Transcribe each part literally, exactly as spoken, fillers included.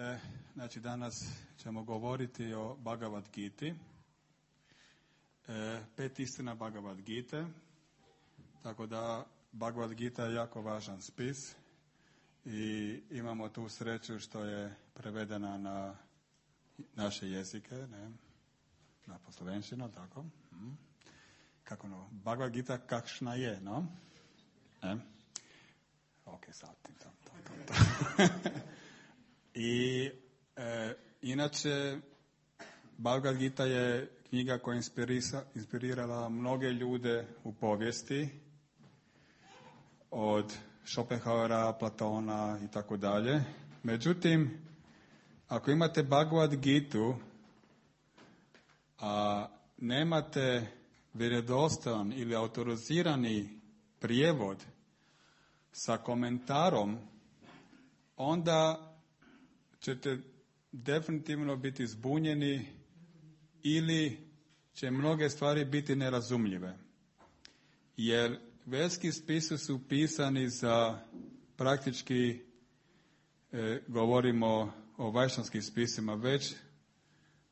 E, znači danas ćemo govoriti o Bhagavad Giti. E, pet istina Bhagavad Gite. Tako da Bhagavad Gita je jako važan spis i imamo tu sreću što je prevedena na naše jezike, ne? Na poslovenščino, tako. Hmm. Kako no? Bhagavad Gita kakšna je, no? Ne? Ok, sad ti to, to, to, to. I e, inače Bhagavad Gita je knjiga koja inspirisa, inspirirala mnoge ljude u povijesti, od Schopenhauera, Platona i tako dalje. Međutim, ako imate Bhagavad Gitu, a nemate vjerodostojan ili autorizirani prijevod sa komentarom, onda ćete definitivno biti zbunjeni ili će mnoge stvari biti nerazumljive. Jer vedski spisi su pisani za praktički, e, govorimo o vajšnjavskim spisima, već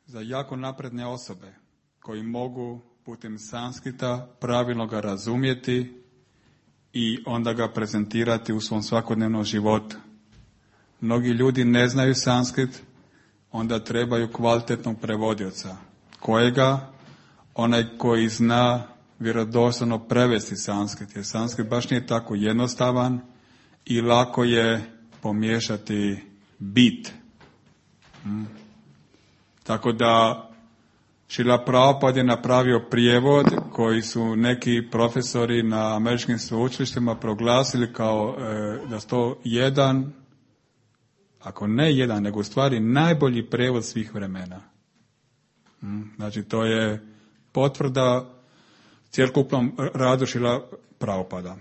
za jako napredne osobe koji mogu putem sanskrita pravilno ga razumjeti i onda ga prezentirati u svom svakodnevnom životu. Mnogi ljudi ne znaju sanskrit, onda trebaju kvalitetnog prevodioca. Kojega? Onaj koji zna vjerodostojno prevesti sanskrit, jer sanskrit baš nije tako jednostavan i lako je pomiješati bit. Hmm. Tako da Šrila Prabhupada je napravio prijevod koji su neki profesori na američkim sveučilištima proglasili kao e, da su to jedan, ako ne jedan, nego u stvari najbolji prijevod svih vremena. Hmm. Znači to je potvrda cjelokupnom radu Šrila Prabhupada.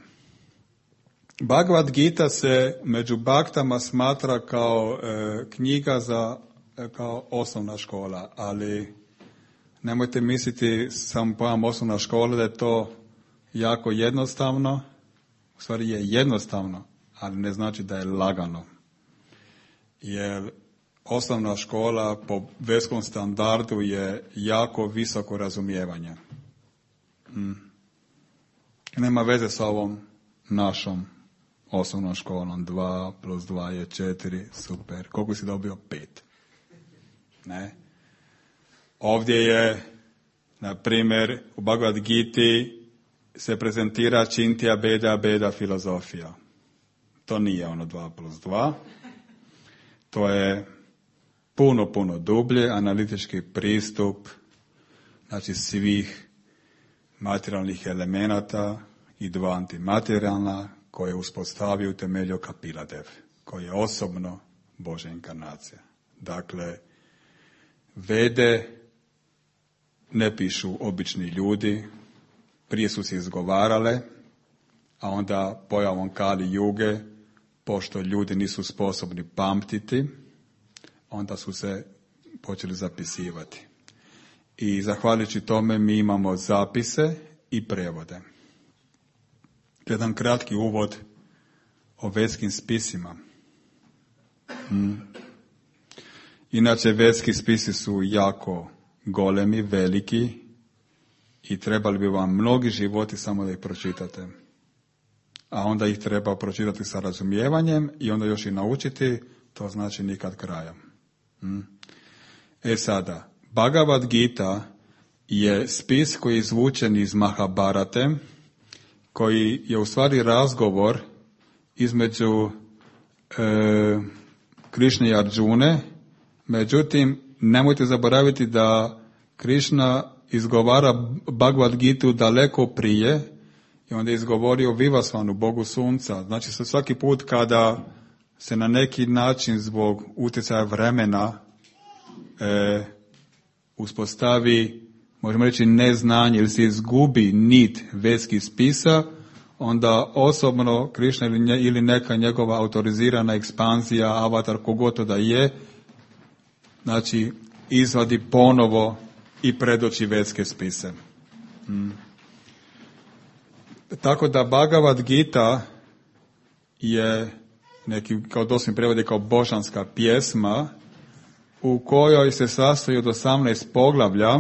Bhagavad Gita se među baktama smatra kao e, knjiga za e, kao osnovna škola, ali nemojte misliti sam pojam osnovna škola da je to jako jednostavno. U stvari je jednostavno, ali ne znači da je lagano. Jer osnovna škola po vedskom standardu je jako visoko razumijevanje. Hmm. Nema veze sa ovom našom osnovnom školom. Dva plus dva je četiri, super. Koliko si dobio? Pet. Ne? Ovdje je, na primjer, u Bhagavad Giti se prezentira Čintija Beda Beda filozofija. To nije ono dva plus dva. To je puno, puno dublje, analitički pristup, znači svih materijalnih elemenata i dva antimaterijalna koje je uspostavio utemeljio Kapiladev, koji je osobno Božja inkarnacija. Dakle, Vede ne pišu obični ljudi, prije su se izgovarale, a onda pojavom Kali Juge, pošto ljudi nisu sposobni pamtiti, onda su se počeli zapisivati. I zahvaljujući tome mi imamo zapise i prevode. Jedan kratki uvod o vedskim spisima. Hmm. Inače, vedski spisi su jako golemi, veliki i trebali bi vam mnogi životi samo da ih pročitate. A onda ih treba pročitati sa razumijevanjem i onda još i naučiti, to znači nikad kraja. Hmm. E sada, Bhagavad Gita je spis koji je izvučen iz Mahabharate, koji je u stvari razgovor između e, Krišne i Arjune. Međutim, nemojte zaboraviti da Krišna izgovara Bhagavad Gitu daleko prije i onda je izgovorio Vivasvanu, Bogu sunca. Znači se svaki put kada se na neki način zbog utjecaja vremena e, uspostavi, možemo reći, neznanje ili se izgubi nit vedskih spisa, onda osobno Krišna ili, nje, ili neka njegova autorizirana ekspanzija, avatar, kogoto da je, znači izvadi ponovo i predoči vedske spise. Hmm. Tako da Bhagavad Gita je neki kao doslovni prevod je kao božanska pjesma, u kojoj se sastoji od osamnaest poglavlja.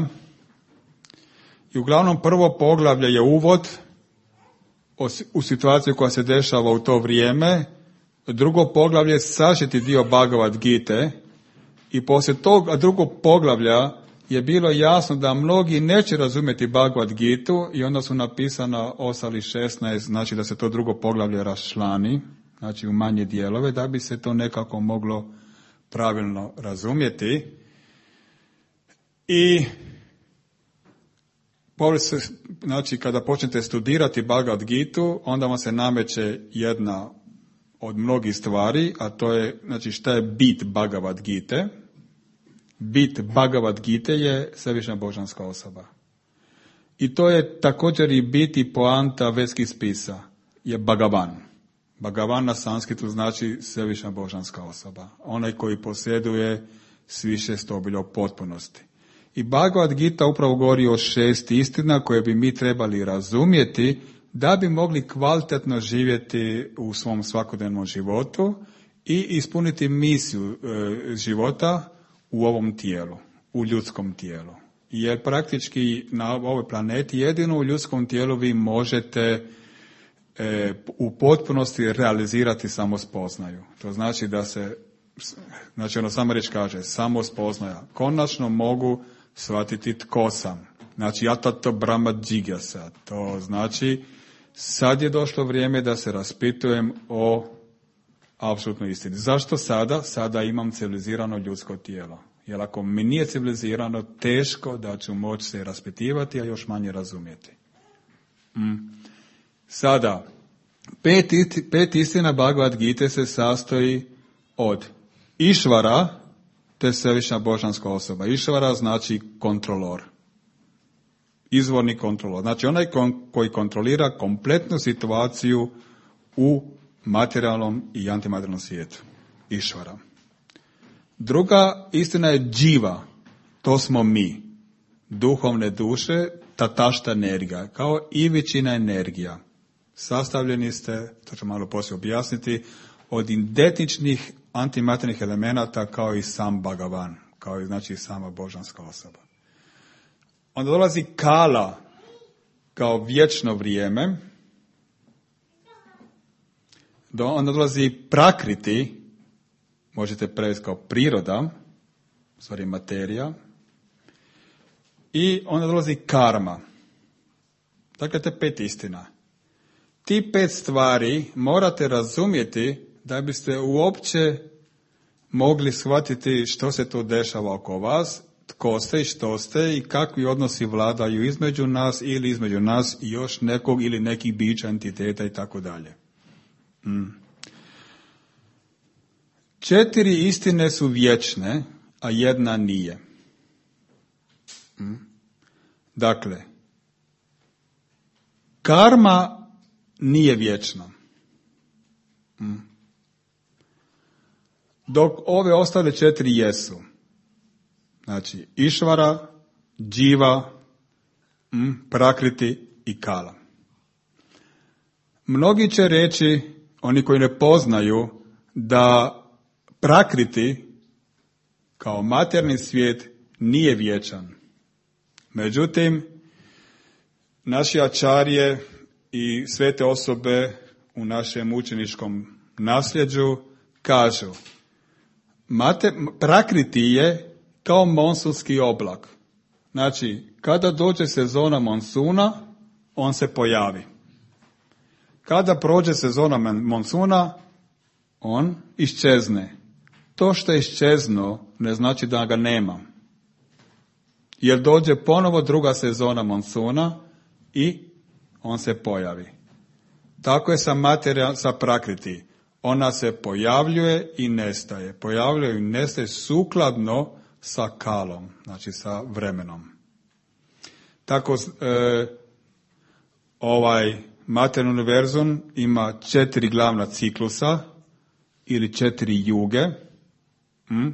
I uglavnom prvo poglavlje je uvod u situaciju koja se dešava u to vrijeme, drugo poglavlje je sažeti dio Bhagavad Gite, i poslije tog drugog poglavlja je bilo jasno da mnogi neće razumjeti Bhagavad Gitu i onda su napisana ostali šesnaest, znači da se to drugo poglavlje raščlani, znači u manje dijelove, da bi se to nekako moglo pravilno razumjeti. I znači kada počnete studirati Bhagavad Gitu, onda vam se nameće jedna od mnogih stvari, a to je, znači, šta je bit Bhagavad Gite. Bit Bhagavad Gite je svevišnja božanska osoba. I to je također i bit i poanta vedskih spisa, je Bhagavan. Bhagavan na sanskritu znači svevišnja božanska osoba. Onaj koji posjeduje svišest obilja u potpunosti. I Bhagavad Gita upravo govori o šest istina koje bi mi trebali razumjeti da bi mogli kvalitetno živjeti u svom svakodnevnom životu i ispuniti misiju e, života u ovom tijelu, u ljudskom tijelu. Jer praktički na ovoj planeti jedino u ljudskom tijelu vi možete e, u potpunosti realizirati samospoznaju. To znači da se, znači ono sama riječ kaže, samospoznaja. Konačno mogu shvatiti tko sam. Znači jatato brahma džigyasa. To znači sad je došlo vrijeme da se raspitujem o apsolutnoj istini. Zašto sada? Sada imam civilizirano ljudsko tijelo. Jer ako mi nije civilizirano, teško da ću moći se raspitivati, a još manje razumjeti. Mm. Sada, pet, isti, pet istina Bhagavad Gite se sastoji od Išvara, to je svevišnja božanska osoba. Išvara znači kontrolor. Izvorni kontrolor. Znači onaj koji kontrolira kompletnu situaciju u materijalnom i antimaterijalnom svijetu. Išvara. Druga istina je dživa. To smo mi. Duhovne duše, tatašta energija. Kao i većina energija. Sastavljeni ste, to ću malo poslije objasniti, od identičnih antimaterijalnih elemenata kao i sam Bhagavan. Kao i znači sama božanska osoba. Onda dolazi kala kao vječno vrijeme. Onda dolazi prakriti, možete prevesti kao priroda, stvari materija. I onda dolazi karma. Dakle, te pet istina. Ti pet stvari morate razumjeti da biste uopće mogli shvatiti što se to dešava oko vas, tko ste i što ste i kakvi odnosi vladaju između nas ili između nas i još nekog ili nekih bića, entiteta i tako dalje. Mm. Četiri istine su vječne, a jedna nije. Mm. Dakle, karma nije vječna. Mm. Dok ove ostale četiri jesu. Znači, Išvara, dživa, mm, prakriti i kala. Mnogi će reći, oni koji ne poznaju, da prakriti kao materni svijet nije vječan. Međutim, naši ačarje i svete osobe u našem učeničkom nasljeđu kažu, Mate, prakriti je kao monsunski oblak. Znači, kada dođe sezona monsuna, on se pojavi. Kada prođe sezona monsuna, on iščezne. To što je iščeznuo ne znači da ga nema. Jer dođe ponovo druga sezona monsuna i on se pojavi. Tako je sa materija, sa prakriti. Ona se pojavljuje i nestaje. Pojavljuje i nestaje sukladno sa kalom, znači sa vremenom. Tako e, ovaj materijalni univerzum ima četiri glavna ciklusa ili četiri juge. Mm,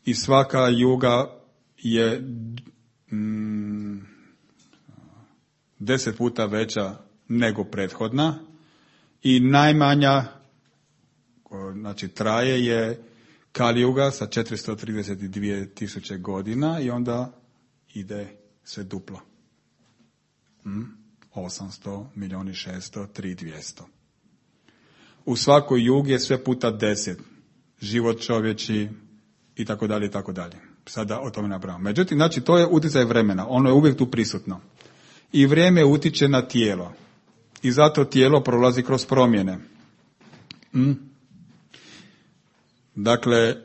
I svaka juga je mm, deset puta veća nego prethodna i najmanja znači traje je Kali Yuga sa četiristo trideset dvije tisuće godina i onda ide sve duplo. Hmm? osamsto, milijuni, šesto, tri, dvjesto. U svakoj jugi je sve puta deset. Život čovječi i tako dalje i tako dalje. Sada o tome napravimo. Međutim, znači to je utjecaj vremena. Ono je uvijek tu prisutno. I vrijeme utiče na tijelo. I zato tijelo prolazi kroz promjene. Hmm? Dakle,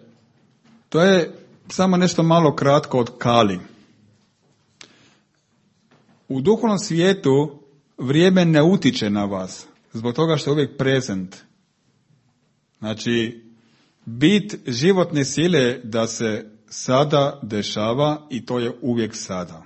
to je samo nešto malo kratko od Kali. U duhovnom svijetu vrijeme ne utiče na vas, zbog toga što je uvijek prezent. Znači, bit životne sile da se sada dešava i to je uvijek sada.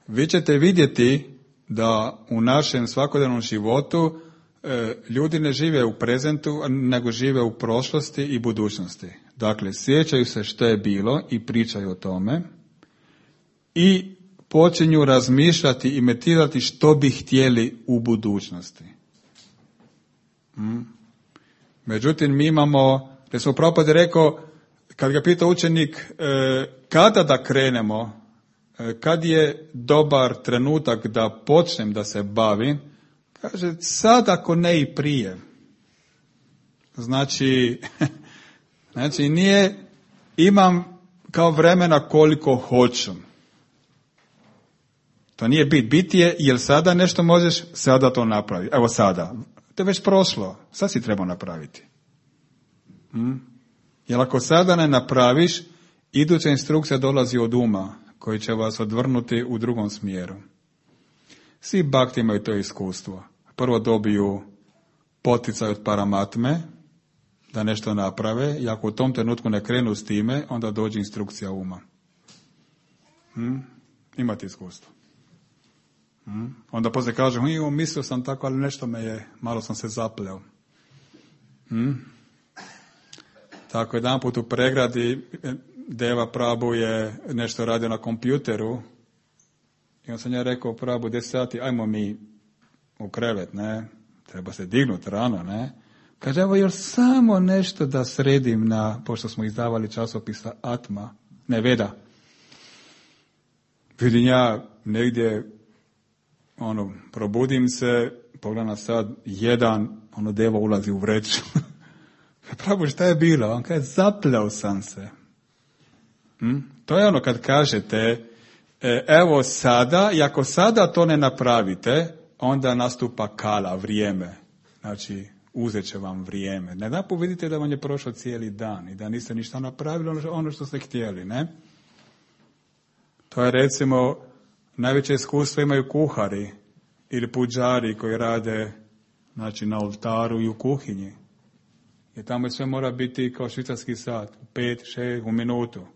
Vi ćete vidjeti da u našem svakodnevnom životu e, ljudi ne žive u prezentu, nego žive u prošlosti i budućnosti. Dakle, sjećaju se što je bilo i pričaju o tome i počinju razmišljati i meditirati što bi htjeli u budućnosti. Hmm. Međutim, mi imamo, recimo Prabhupada je rekao, kad ga pita učenik e, kada da krenemo, e, kad je dobar trenutak da počnem da se bavim, kaže sad ako ne i prije. Znači, znači nije, imam kao vremena koliko hoću. To nije bit. Bit je, jel sada nešto možeš, sada to napravi. Evo sada. To je već prošlo. Sad si trebao napraviti. Hmm? Jer ako sada ne napraviš, iduća instrukcija dolazi od uma, koji će vas odvrnuti u drugom smjeru. Svi bhakti imaju to iskustvo. Prvo dobiju poticaj od Paramatme, da nešto naprave, i ako u tom trenutku ne krenu s time, onda dođe instrukcija uma. Hmm? Imate iskustvo. Hmm? Onda poslije kažem, jo, mislio sam tako, ali nešto me je, malo sam se zapleo. Hmm? Tako jedan put u pregradi Deva Prabhu je nešto radio na kompjuteru i on sam ja rekao Prabhu, deset sati, ajmo mi u krevet, ne, treba se dignuti rano, ne. Kaže, evo još samo nešto da sredim na, pošto smo izdavali časopisa Atma, ne Veda. Vidim ja negdje, ono, probudim se, pogledam sad, jedan, ono, Deva ulazi u vreću. Prabhu, šta je bilo? On kaže, zapleo sam se. Hm? To je ono kad kažete, e, evo sada, i ako sada to ne napravite, onda nastupa kala, vrijeme. Znači, uzet će vam vrijeme. Ne da vidite da vam je prošao cijeli dan i da niste ništa napravili ono što ste htjeli, ne? To je recimo, najveće iskustvo imaju kuhari ili puđari koji rade, znači, na oltaru i u kuhinji. Jer tamo sve mora biti kao švicarski sat, pet, šest, u minutu.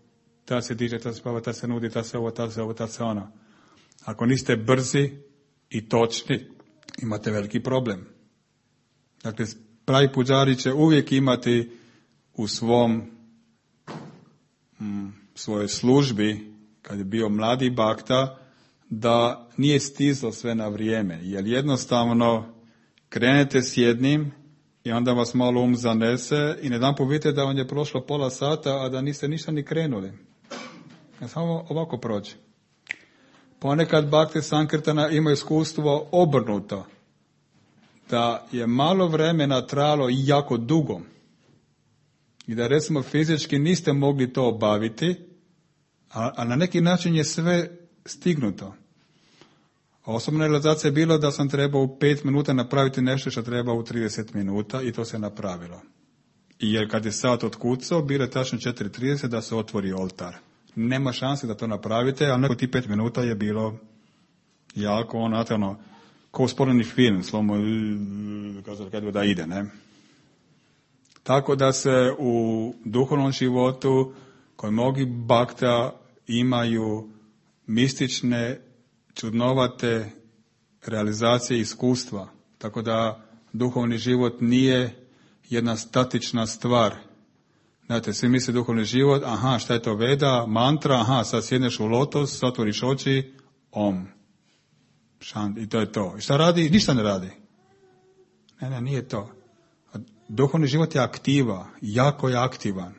Ta se diže, ta se spava, ta se nudi, ta se ovo, ta se ovo, ta se ono. Ako niste brzi i točni, imate veliki problem. Dakle, pravi puđari će uvijek imati u svom m, svojoj službi, kad je bio mladi bakta, da nije stizlo sve na vrijeme. Jer jednostavno krenete s jednim i onda vas malo um zanese i nedanput vidite da vam je prošlo pola sata, a da niste ništa ni krenuli. Ja samo ovako prođe. Ponekad Bhakti Sankirtana imaju iskustvo obrnuto. Da je malo vremena trajalo jako dugo. I da recimo fizički niste mogli to obaviti, a, a na neki način je sve stignuto. Osobna realizacija je bilo da sam trebao u pet minuta napraviti nešto što treba u trideset minuta i to se napravilo. I jer kad je sat otkucao, bilo je tačno četiri trideset da se otvori oltar. Nema šanse da to napravite, ali neko ti pet minuta je bilo jako ono, ono kao usporeni film, slomo kad da ide, ne? Tako da se u duhovnom životu koji mnogi bhakta imaju mistične, čudnovate realizacije iskustva. Tako da duhovni život nije jedna statična stvar. Znate, svi misle duhovni život, aha, šta je to Veda, mantra, aha, sad sjedneš u lotos, otvoriš oči, om. Šant, i to je to. I šta radi? Ništa ne radi. Ne, ne, nije to. duhovni život je aktiva, jako je aktivan.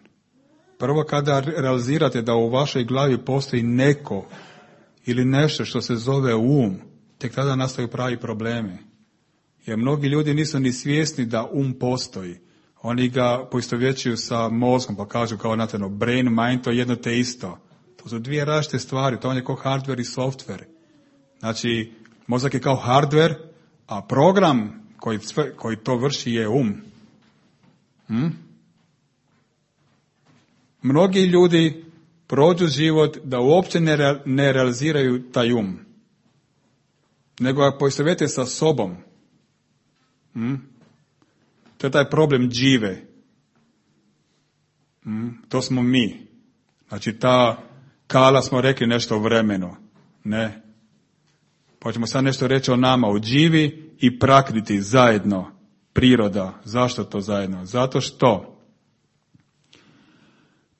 Prvo kada realizirate da u vašoj glavi postoji neko ili nešto što se zove um, tek tada nastaju pravi problemi. Jer mnogi ljudi nisu ni svjesni da um postoji. Oni ga poistovjećuju sa mozgom, pa kažu kao natjerno, brain, mind, to je jedno te isto. To su dvije različite stvari, to je kao hardware i software. Znači, mozak je kao hardware, a program koji, sve, koji to vrši je um. Hm? Mnogi ljudi prođu život da uopće ne, re, ne realiziraju taj um, nego ga poistovjete sa sobom. Hm? To je taj problem džive. Hm? To smo mi. Znači ta kala smo rekli nešto o vremenu. Ne. Pa ćemo sad nešto reći o nama, o dživi i prakriti zajedno. Priroda. Zašto to zajedno? Zato što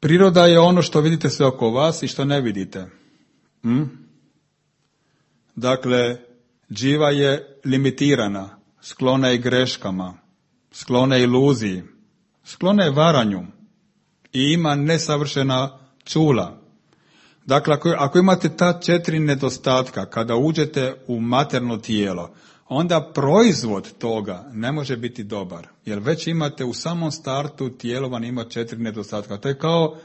priroda je ono što vidite sve oko vas i što ne vidite. Hm? Dakle, dživa je limitirana, sklona je greškama, sklona je iluziji, sklona je varanju i ima nesavršena čula. Dakle, ako, ako imate ta četiri nedostatka, kada uđete u materno tijelo, onda proizvod toga ne može biti dobar. Jer već imate u samom startu tijelo vam ima četiri nedostatka. To je kao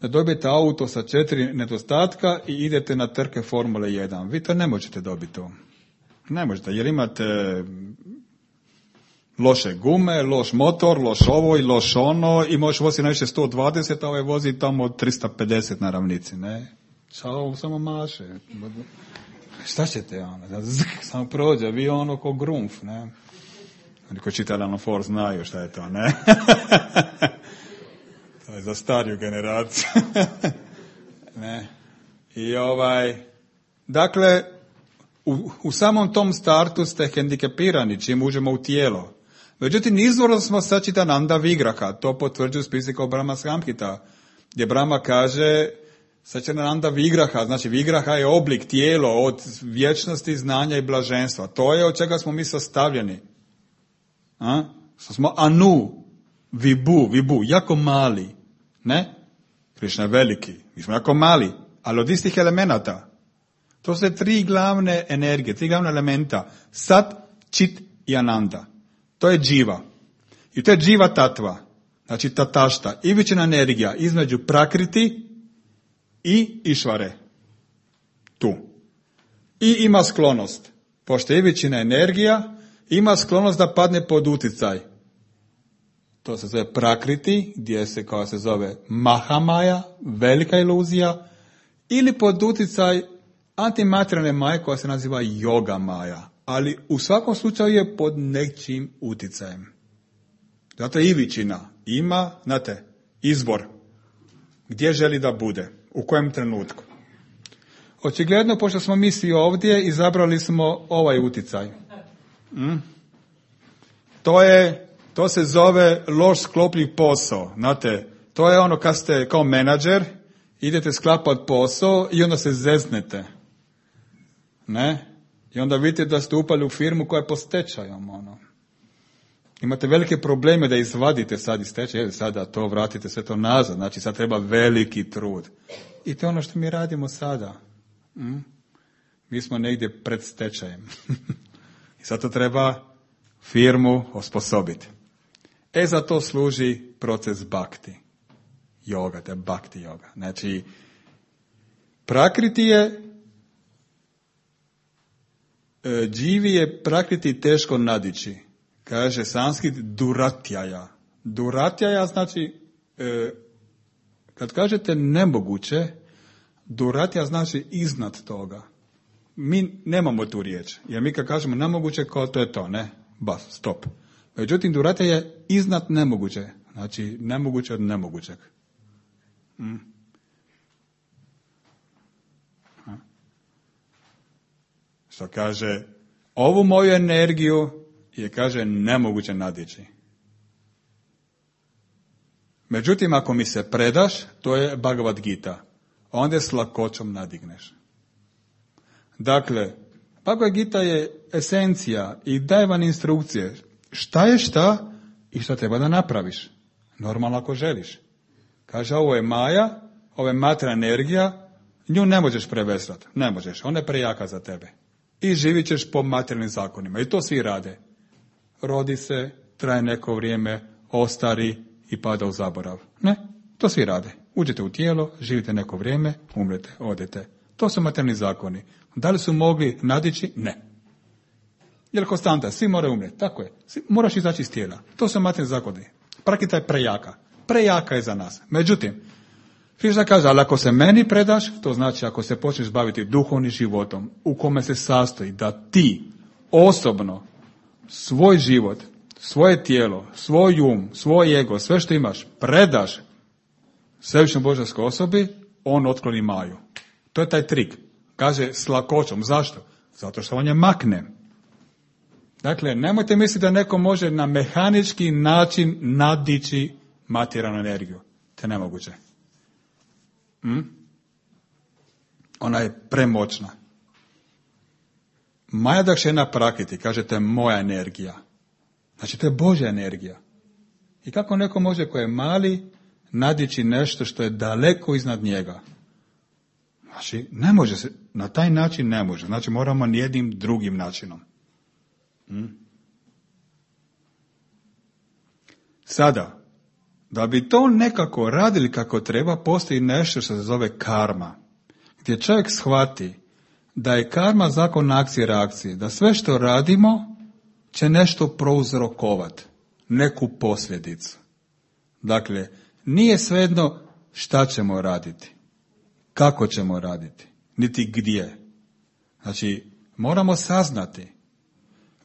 da dobijete auto sa četiri nedostatka i idete na trke Formule jedan. Vi to ne možete dobiti to. Ne možete, jer imate loše gume, loš motor, loš ovo i loš ono i možeš voziti najviše sto dvadeset, a ovaj vozi tamo tristo pedeset na ravnici, ne? Čao, samo maše. Šta ćete, ono? Samo prođe, vi ono ko grumf, ne? Oni koji čitali Alan Ford znaju šta je to, ne? To je za stariju generaciju. Ne? I ovaj, dakle, u, u samom tom startu ste hendikepirani čim uđemo u tijelo. Međutim, izvorno smo Sačitananda Vigraha, to potvrđuju spisi kao Brahma Samhita, gdje Brahma kaže Sačitananda Vigraha, znači Vigraha je oblik, tijelo od vječnosti, znanja i blaženstva. To je od čega smo mi sastavljeni. A? Smo anu, vibu, vibu, jako mali, ne? Krišna je veliki, mi smo jako mali, ali od istih elemenata. To su tri glavne energije, tri glavne elementa, sat, čit i ananda. To je dživa. I to je dživa tatva, znači tatašta, ivična energija između prakriti i išvare. Tu. I ima sklonost, pošto je ivična energija, ima sklonost da padne pod utjecaj. To se zove prakriti, gdje se, kao se zove Mahamaja, velika iluzija, ili pod utjecaj antimaterijalne maje koja se naziva Yoga Maja. Ali u svakom slučaju je pod nečim utjecajem. Zato je ivičina. Ima, znate, izbor. Gdje želi da bude? U kojem trenutku? Očigledno, pošto smo mi svi ovdje, izabrali smo ovaj utjecaj. Mm? To je, to se zove loš sklopljiv posao. Znate, to je ono kad ste kao menadžer, idete sklapati posao i onda se zeznete. Ne? I onda vidite da ste upali u firmu koja je pod stečajom. Ono. Imate velike probleme da izvadite sad iz stečaja, sada to vratite sve to nazad. Znači sad treba veliki trud. I to je ono što mi radimo sada. Mm? Mi smo negdje pred stečajem. I sad to treba firmu osposobiti. E za to služi proces bhakti. Yoga, to je bhakti yoga. Znači, prakriti je dživi je prakriti teško nadići. Kaže sanskrit duratjaja. Duratjaja znači, e, kad kažete nemoguće, duratja znači iznad toga. Mi nemamo tu riječ. Jer mi kad kažemo nemoguće, kao to je to, ne? Bas, stop. Međutim, duratja je iznad nemoguće. Znači, nemoguće od nemogućeg. Mm. Što kaže, ovu moju energiju je, kaže, nemoguće nadići. Međutim, ako mi se predaš, to je Bhagavad Gita. Onda s lakoćom nadigneš. Dakle, Bhagavad Gita je esencija i daje vam instrukcije. Šta je šta i što treba da napraviš. Normalno ako želiš. Kaže, ovo je maja, ovo je materijalna energija, nju ne možeš prevesrati. Ne možeš, ona je prejaka za tebe. I živit ćeš po materijalnim zakonima. I to svi rade. Rodi se, traje neko vrijeme, ostari i pada u zaborav. Ne, to svi rade. Uđete u tijelo, živite neko vrijeme, umrete, odete. To su materijalni zakoni. Da li su mogli nadići? Ne. Jer konstanta, svi moraju umreti. Tako je. Svi, moraš izaći iz tijela. To su materijalni zakoni. Praktika je prejaka. Prejaka je za nas. Međutim, Krishna kaže, ali ako se meni predaš, to znači ako se počneš baviti duhovnim životom, u kome se sastoji da ti osobno svoj život, svoje tijelo, svoj um, svoj ego, sve što imaš, predaš svevišnjoj božanskoj osobi, on otkloni maju. To je taj trik. Kaže s lakoćom. Zašto? Zato što on je makne. Dakle, nemojte misliti da neko može na mehanički način nadići materijalnu energiju. To je nemoguće. Hm? Ona je premoćna. Maja Dakšena Prakriti, kažete moja energija. Znači, to je Božja energija. I kako neko može koji je mali nadići nešto što je daleko iznad njega? Znači, ne može se, na taj način ne može. Znači, moramo nijednim drugim načinom. Hm? Sada, da bi to nekako radili kako treba, postoji nešto što se zove karma. Gdje čovjek shvati da je karma zakon akcije i reakcije. Da sve što radimo će nešto prouzrokovati. Neku posljedicu. Dakle, nije svejedno šta ćemo raditi. Kako ćemo raditi. Niti gdje. Znači, moramo saznati.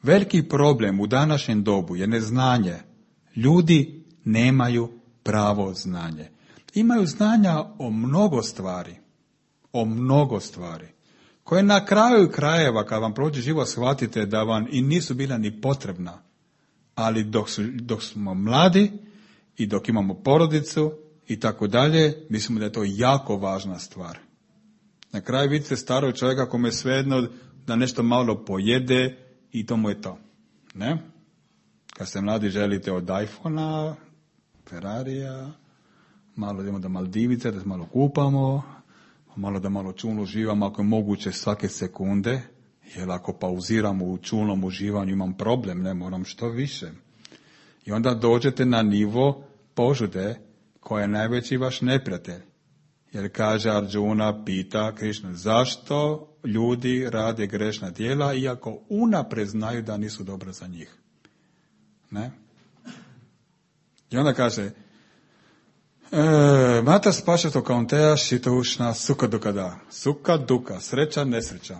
Veliki problem u današnjem dobu je neznanje. Ljudi nemaju pravo znanje. Imaju znanja o mnogo stvari. O mnogo stvari. Koje na kraju krajeva, kad vam prođe život, shvatite da vam i nisu bila ni potrebna. Ali dok, su, dok smo mladi i dok imamo porodicu i tako dalje, mislimo da je to jako važna stvar. Na kraju vidite starog čovjeka kome je svejedno da nešto malo pojede i to mu je to. Ne? Kad ste mladi želite od iPhona, Ferrarija, malo idemo do Maldivice, da se malo kupamo, malo da malo čulno uživamo ako je moguće svake sekunde, jer ako pauziramo u čulnom uživanju imam problem, ne moram što više. I onda dođete na nivo požude koja je najveći vaš neprijatelj. Jer kaže Arjuna, pita Krišna, zašto ljudi rade grešna djela iako unaprijed znaju da nisu dobra za njih. Ne? I onda kaže, e, Mata spašato kaunteja šitoušna suka dukada. Suka duka, sreća, nesreća.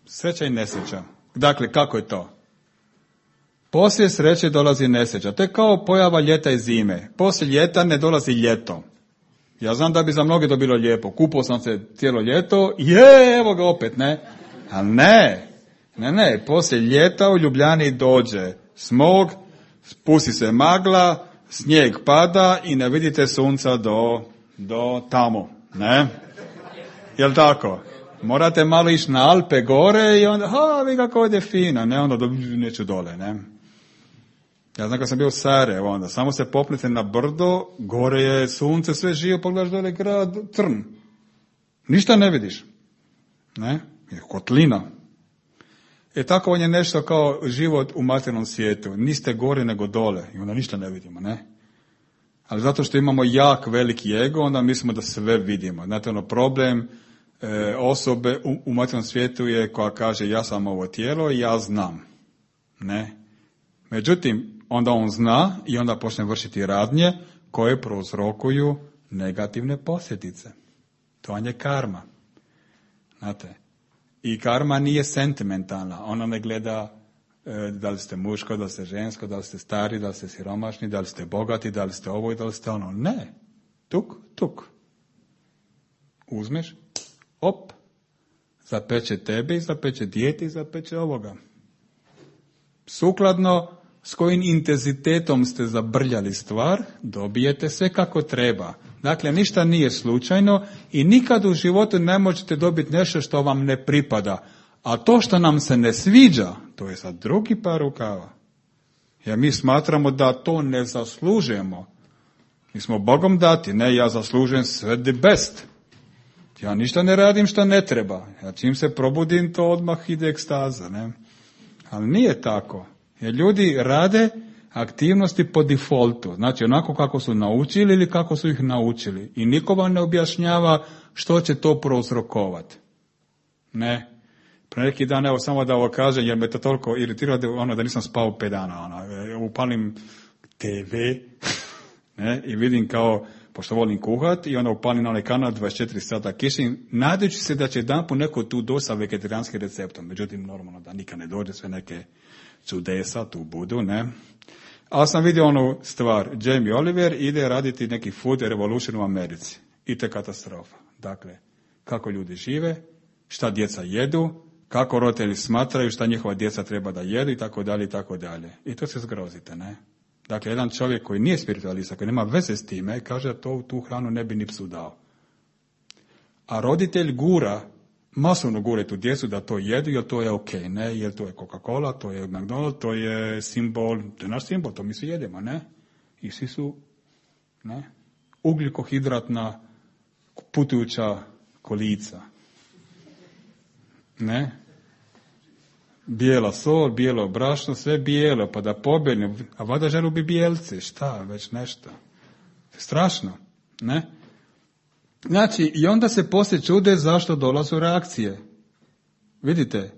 Sreća i nesreća. Dakle, kako je to? Poslije sreće dolazi nesreća. To je kao pojava ljeta i zime. Poslije ljeta ne dolazi ljeto. Ja znam da bi za mnoge to bilo lijepo. Kupao sam se cijelo ljeto, je, evo ga opet, ne? A ne, ne, ne, poslije ljeta u Ljubljani dođe smog, spusti se magla, snijeg pada i ne vidite sunca do, do tamo, ne? Jel' tako? Morate malo ići na Alpe gore i onda, ha, vi kako ovdje fino, ne, onda neću dole, ne? Ja znam kad sam bio u Sarajevu, onda samo se popnete na brdo, gore je sunce, sve živo, pogledaš dole grad, crn. Ništa ne vidiš. Ne? Je kotlina. E tako on je nešto kao život u materijalnom svijetu. Niste gore nego dole i onda ništa ne vidimo, ne? Ali zato što imamo jak veliki ego, onda mislimo da sve vidimo. Znate, ono problem e, osobe u, u materijalnom svijetu je koja kaže ja sam ovo tijelo i ja znam. Ne? Međutim, onda on zna i onda počne vršiti radnje koje prouzrokuju negativne posljedice. To je karma. Znate, i karma nije sentimentalna. Ona ne gleda e, da li ste muško, da li ste žensko, da li ste stari, da li ste siromašni, da li ste bogati, da li ste ovo i da li ste ono. Ne. Tuk, tuk. Uzmeš, op, zapeće tebe i zapeće dijete i zapeće ovoga. Sukladno s kojim intenzitetom ste zabrljali stvar, dobijete sve kako treba. Dakle, ništa nije slučajno i nikad u životu ne možete dobiti nešto što vam ne pripada. A to što nam se ne sviđa, to je sad drugi par rukava. Jer mi smatramo da to ne zaslužujemo. Mi smo Bogom dati, ne, ja zaslužujem sve the best. Ja ništa ne radim što ne treba. Ja čim se probudim, to odmah ide ekstaza, ne. Ali nije tako. Jer ljudi rade aktivnosti po defaultu. Znači onako kako su naučili ili kako su ih naučili. I niko vam ne objašnjava što će to prouzrokovati. Ne. Pre neki dan, evo samo da ovo kažem, jer me to toliko iritiralo da, ono, da nisam spao pet dana. Ono, upalim te ve ne, i vidim kao, pošto volim kuhat, i onda upalim na onaj kanal dvadeset četiri sata kišim, nadajući se da će jedan po neko tu doći sa vegetarijanskim receptom. Međutim, normalno da nikad ne dođe, sve neke čudesa tu budu, ne. Ali sam vidio onu stvar, Jamie Oliver ide raditi neki food revolution u Americi. I to je katastrofa. Dakle, kako ljudi žive, šta djeca jedu, kako roditelji smatraju šta njihova djeca treba da jedu i tako dalje i tako dalje. I to se zgrozite, ne? Dakle, jedan čovjek koji nije spiritualista, koji nema veze s time, kaže da to, tu hranu ne bi ni psu dao. A roditelj gura, masovno gura tu djecu da to jedu, jer to je ok, ne? Jer to je Coca-Cola, to je McDonald's, to je simbol, to je naš simbol, to mi svi jedemo, ne? I svi su, ne? Ugljikohidratna putujuća kolica. Ne? Bijela sol, bijelo brašno, sve bijelo, pa da pobjegne, a vada želu bi bijelci, šta, već nešto. Strašno, ne? Znači, i onda se poslije čude zašto dolazu reakcije. Vidite,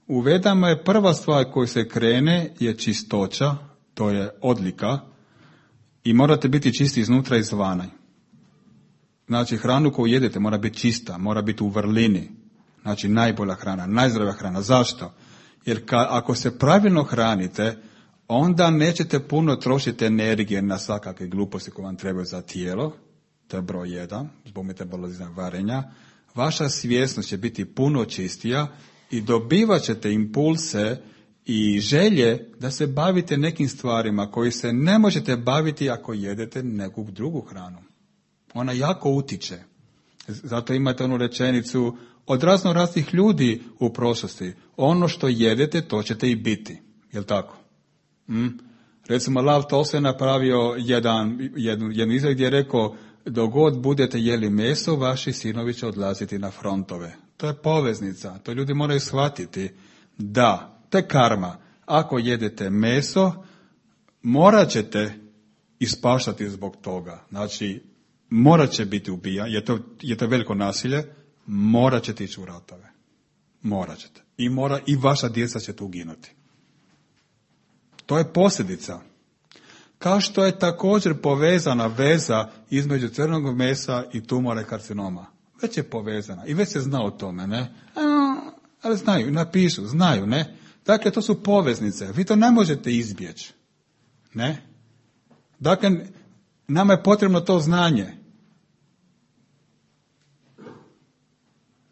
u Vedama je prva stvar koju se krene je čistoća, to je odlika, i morate biti čisti iznutra i izvana. Znači, hranu koju jedete mora biti čista, mora biti u vrlini. Znači, najbolja hrana, najzdravija hrana. Zašto? Jer ka, ako se pravilno hranite, onda nećete puno trošiti energije na svakakve gluposti koje vam trebaju za tijelo. To je broj jedan, zbog metabolizma varenja. Vaša svjesnost će biti puno čistija i dobivat ćete impulse i želje da se bavite nekim stvarima koji se ne možete baviti ako jedete neku drugu hranu. Ona jako utiče. Zato imate onu rečenicu od razno raznih ljudi u prošlosti. Ono što jedete, to ćete i biti. Jel' tako? Mm? Recimo, Lav Tolstoj je napravio jedan, jednu, jednu izjavu gdje je rekao, dok god budete jeli meso, vaši sinovi će odlaziti na frontove. To je poveznica. To ljudi moraju shvatiti. Da, to je karma. Ako jedete meso, morat ćete ispaštati zbog toga. Znači, morat će biti ubijan, je to, je to veliko nasilje, morat ćete ići u ratove. Morat ćete. I, mora, i vaša djeca će tu uginuti. To je posljedica. Kao što je također povezana veza između crnog mesa i tumora i karcinoma. Već je povezana i već se zna o tome, ne? Ali znaju, napišu, znaju, ne? Dakle, to su poveznice. Vi to ne možete izbjeći. Ne? Dakle, nama je potrebno to znanje.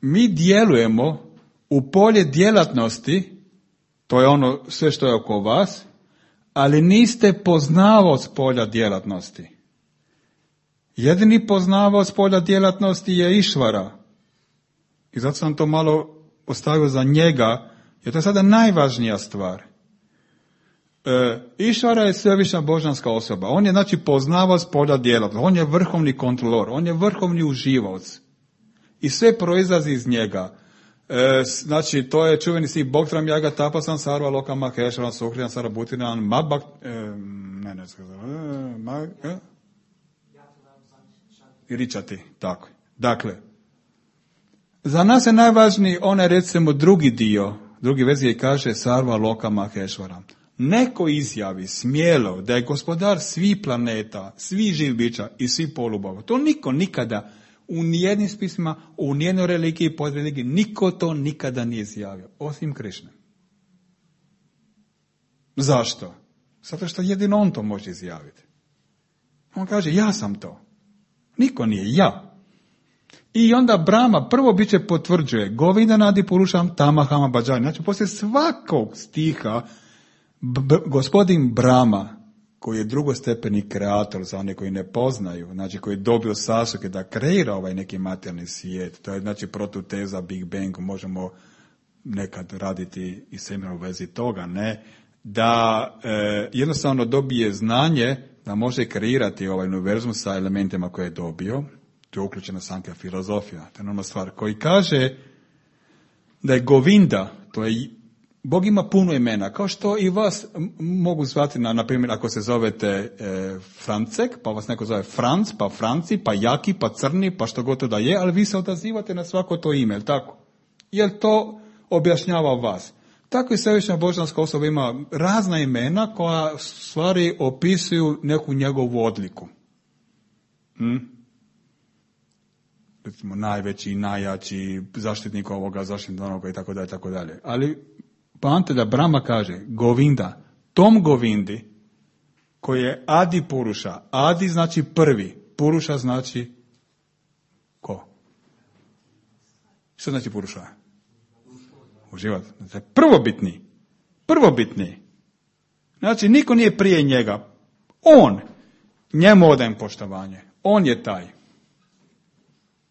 Mi djelujemo u polje djelatnosti, to je ono sve što je oko vas, ali niste poznavaoc polja djelatnosti. Jedini poznavaoc polja djelatnosti je Išvara. I zato sam to malo ostavio za njega, jer to je sada najvažnija stvar. E, Išvara je svevišnja božanska osoba. On je znači poznavaoc polja djelatnosti. On je vrhovni kontrolor. On je vrhovni uživaoc. I sve proizlazi iz njega. E, znači, to je čuveni si Bogtram Jaga Tapasan Sarva Loka Maheshvaram Sukrijan Sarabutinan Mabak... E, ne, ne, e, ma, e? I ričati, tako. Dakle, za nas je najvažniji onaj, recimo, drugi dio, drugi verzije kaže Sarva Loka Maheshvaram. Neko izjavi smjelo da je gospodar svih planeta, svih živih bića i svih polubogova. To niko nikada u nijednim spisima, u nijednoj religiji, pod religiji, niko to nikada nije izjavio, osim Krišne. Zašto? Zato što jedino on to može izjaviti. On kaže, ja sam to. Niko nije, ja. I onda Brahma prvo biće potvrđuje, Govinda nadi purušam tamahama bhađani. Znači, poslije svakog stiha, b- gospodin Brahma, koji je drugostepeni kreator za one koji ne poznaju, znači koji je dobio sasuke da kreira ovaj neki materijalni svijet, to je znači protuteza Big Bang, možemo nekad raditi i semena u vezi toga, ne, da e, jednostavno dobije znanje da može kreirati ovaj univerzum sa elementima koje je dobio. To je uključena sankhya filozofija. To je normalna stvar. Koji kaže da je Govinda, to je, Bog ima puno imena, kao što i vas mogu zvati, na, na primjer, ako se zovete e, Francek, pa vas neko zove Franc, pa Franci, pa Jaki, pa Crni, pa što god to da je, ali vi se odazivate na svako to ime, jel tako? Jer to objašnjava vas. Tako i svevišnja božanska osoba ima razna imena koja stvari opisuju neku njegovu odliku. Hm? Recimo najveći, najjači, zaštitnik ovoga, zaštitnik onoga i tako dalje, tako dalje. Ali poanta da Brahma kaže Govinda, tom Govindi koji je Adi Puruša. Adi znači prvi, Puruša znači ko? Što znači Puruša? Uživati. Znači, prvobitni. Prvobitni. Znači, niko nije prije njega. On. Njemu odajem poštovanje. On je taj.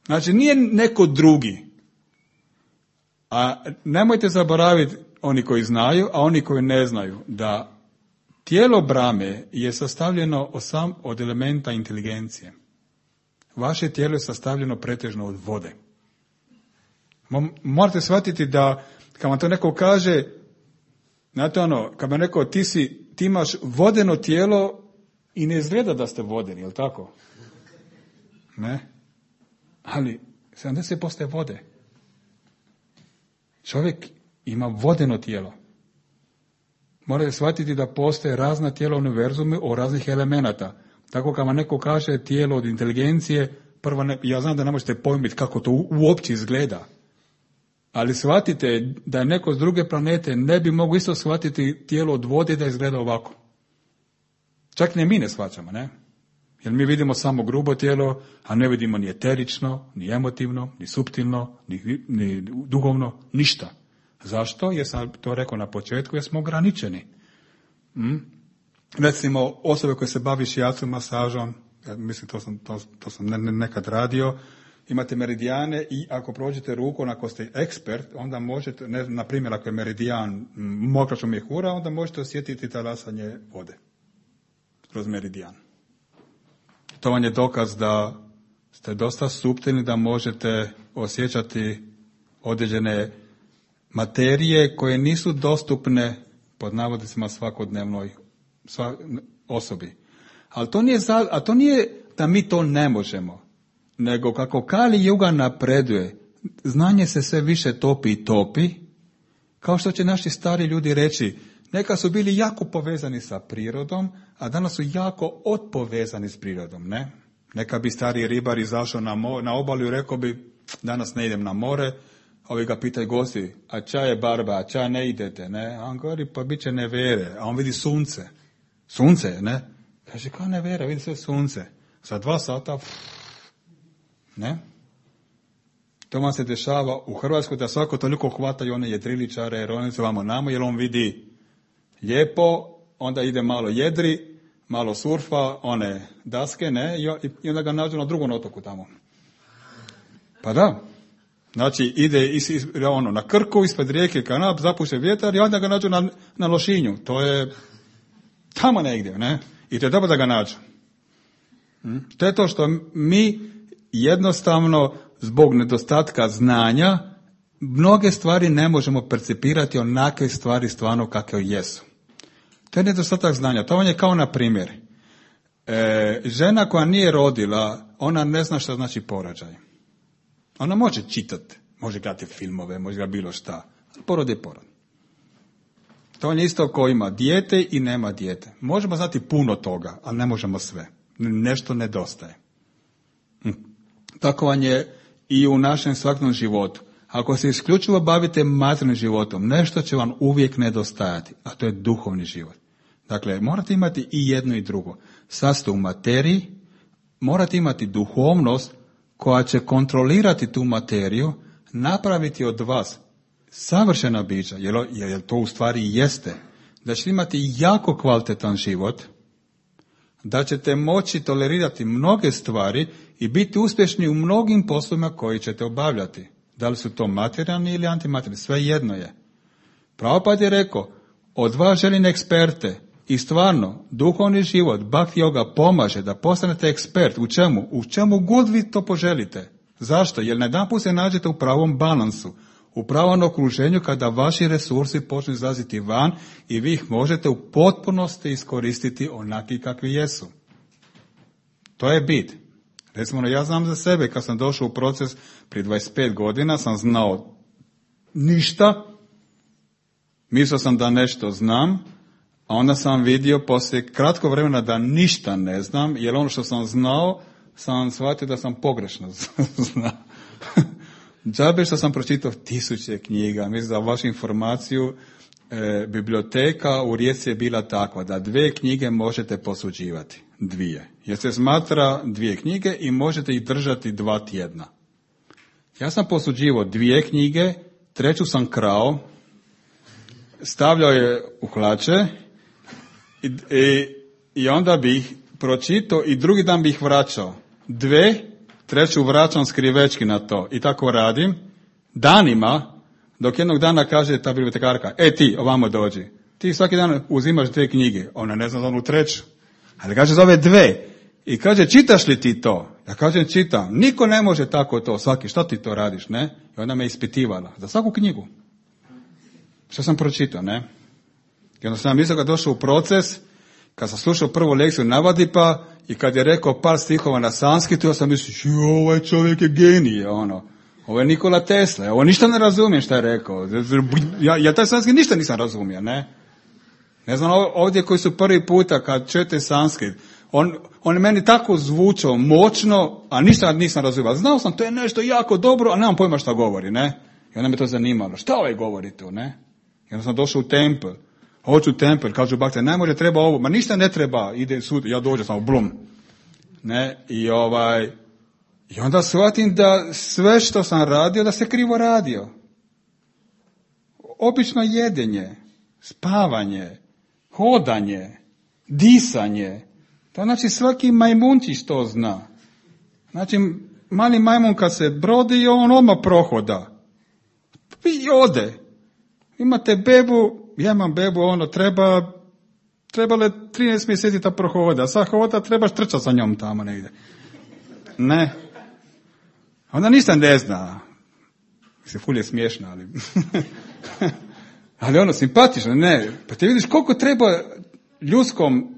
Znači, nije neko drugi. A nemojte zaboraviti, oni koji znaju, a oni koji ne znaju, da tijelo Brahme je sastavljeno osam od elementa inteligencije. Vaše tijelo je sastavljeno pretežno od vode. Morate shvatiti da kad vam to neko kaže, znate ono, kad vam neko ti si, ti imaš vodeno tijelo i ne izgleda da ste vodeni, jel tako? Ne? Ali sedamdeset posto je vode. Čovjek ima vodeno tijelo. Morate shvatiti da postoje razna tijela u univerzumu o raznih elemenata. Tako kad vam neko kaže tijelo od inteligencije, prvo ne, ja znam da ne možete pojmiti kako to uopće izgleda. Ali shvatite da je neko s druge planete ne bi mogao isto shvatiti tijelo od vode da izgleda ovako. Čak ne mi ne shvaćamo, ne? Jer mi vidimo samo grubo tijelo, a ne vidimo ni eterično, ni emotivno, ni suptilno, ni, ni duhovno, ništa. Zašto? Jer sam to rekao na početku, jer smo ograničeni. Hm? Recimo, osobe koje se bavi shiatsu masažom, ja mislim to sam, to, to sam ne, ne, nekad radio, imate meridijane i ako prođete rukom, ako ste ekspert, onda možete, ne, na primjer, ako je meridijan mokračo mjehura, onda možete osjetiti talasanje vode kroz meridijan. To vam je dokaz da ste dosta suptilni, da možete osjećati određene materije koje nisu dostupne pod navodnicima svakodnevnoj sva, osobi. Ali to nije, za, a to nije da mi to ne možemo, nego kako Kali Juga napreduje, znanje se sve više topi i topi, kao što će naši stari ljudi reći, neka su bili jako povezani sa prirodom, a danas su jako odpovezani s prirodom, ne? Neka bi stari ribar izašao na, mo, na obalu i rekao bi, danas ne idem na more, ovi ga pitaju gosti, a ča je barba, a ča ne idete, ne? A on govori, pa bit će nevere, a on vidi sunce. Sunce, ne? Kaže, kao nevere, vidi sve sunce. Za dva sata, pff, ne? To vam se dešava u Hrvatskoj da svako toliko hvataju one jedriličare, jer oni se vamo namo, jer on vidi lijepo, onda ide malo jedri, malo surfa, one daske, ne, i onda ga nađu na drugom otoku tamo. Pa da, znači ide is, is, ono, na Krku, ispred rijeke Kanap, zapuše vjetar i onda ga nađu na, na Lošinju. To je tamo negdje, ne, i to je dobro da ga nađu. To je to što mi jednostavno zbog nedostatka znanja mnoge stvari ne možemo percipirati onakve stvari stvarno kakve jesu. To je nedostatak znanja. To vam je kao na primjer. E, žena koja nije rodila, ona ne zna šta znači porođaj. Ona može čitati, može gledati filmove, može gledati bilo šta. Porod je porod. To je isto ko ima dijete i nema dijete. Možemo znati puno toga, ali ne možemo sve. Nešto nedostaje. Hm. Tako vam je i u našem svakodnevnom životu. Ako se isključivo bavite materijalnim životom, nešto će vam uvijek nedostajati, a to je duhovni život. Dakle, morate imati i jedno i drugo. Sad ste u materiji, morate imati duhovnost koja će kontrolirati tu materiju, napraviti od vas savršena bića, jer, jer to u stvari jeste, da ćete imati jako kvalitetan život, da ćete moći tolerirati mnoge stvari i biti uspješni u mnogim poslovima koji ćete obavljati. Da li su to materijalni ili antimaterijalni, sve jedno je. Prabhupada je rekao, Od vas želim eksperte. I stvarno, duhovni život, bhakti yoga pomaže da postanete ekspert. U čemu? U čemu god vi to poželite. Zašto? Jer najedanput se nađete u pravom balansu, u pravom okruženju kada vaši resursi počnu izlaziti van i vi ih možete u potpunosti iskoristiti onaki kakvi jesu. To je bit. Recimo, ja znam za sebe, kad sam došao u proces prije dvadeset pet godina, sam znao ništa, mislio sam da nešto znam, a onda sam vidio poslije kratko vremena da ništa ne znam, jer ono što sam znao, sam shvatio da sam pogrešno znao. Džabe što sam pročitao tisuće knjiga. Mislim, za vašu informaciju, e, biblioteka u Rijeci je bila takva da dvije knjige možete posuđivati. Dvije. Jer se smatra dvije knjige i možete ih držati dva tjedna. Ja sam posuđivao dvije knjige, treću sam krao, stavljao je u hlače i, i, i onda bih pročitao i drugi dan bih vraćao. Dve, treću vraćam skrivečki na to. I tako radim danima, dok jednog dana kaže ta bibliotekarka, e ti, ovamo dođi. Ti svaki dan uzimaš dvije knjige. Ona ne zna za onu treću. Ali kaže zove dve. I kaže, čitaš li ti to? Ja kažem, čitam. Niko ne može tako to. Svaki, što ti to radiš, ne? I ona me ispitivala. Za svaku knjigu. Što sam pročitao, ne? I onda sam mislio kad došao u proces, kad sam slušao prvu lekciju Navadipa i kad je rekao par stihova na sanskritu, ja sam mislio, ovaj čovjek je genije, ono. Ovo je Nikola Tesla, ovo ništa ne razumijem šta je rekao. Ja, ja taj sanskrit ništa nisam razumio, ne? Ne znam, ovdje koji su prvi puta kad čujete sanskrit, on, on je meni tako zvučao moćno, a ništa nisam razumio. Znao sam, to je nešto jako dobro, a nemam pojma šta govori, ne? I onda me to zanimalo. Šta ovaj govori tu, ne? I onda sam došao u tempel. Hoću u tempel, kažu bakte, ne može, treba ovo. Ma ništa ne treba, ide sud, ja dođem samo, blum. Ne? I ovaj... I onda shvatim da sve što sam radio, da se krivo radio. Obično jedenje, spavanje, hodanje, disanje. To znači svaki majmunčić to zna. Znači, mali majmun kad se brodi, on odmah prohoda. I ode. Imate bebu, ja imam bebu, ono, treba, trebale trinaest mjeseci da prohoda. Sad hoda, trebaš trčati sa njom tamo negdje. Ne. Onda ništa ne zna. Se ful je smiješna, ali... ali ono, simpatično, ne. Pa ti vidiš koliko treba ljudskom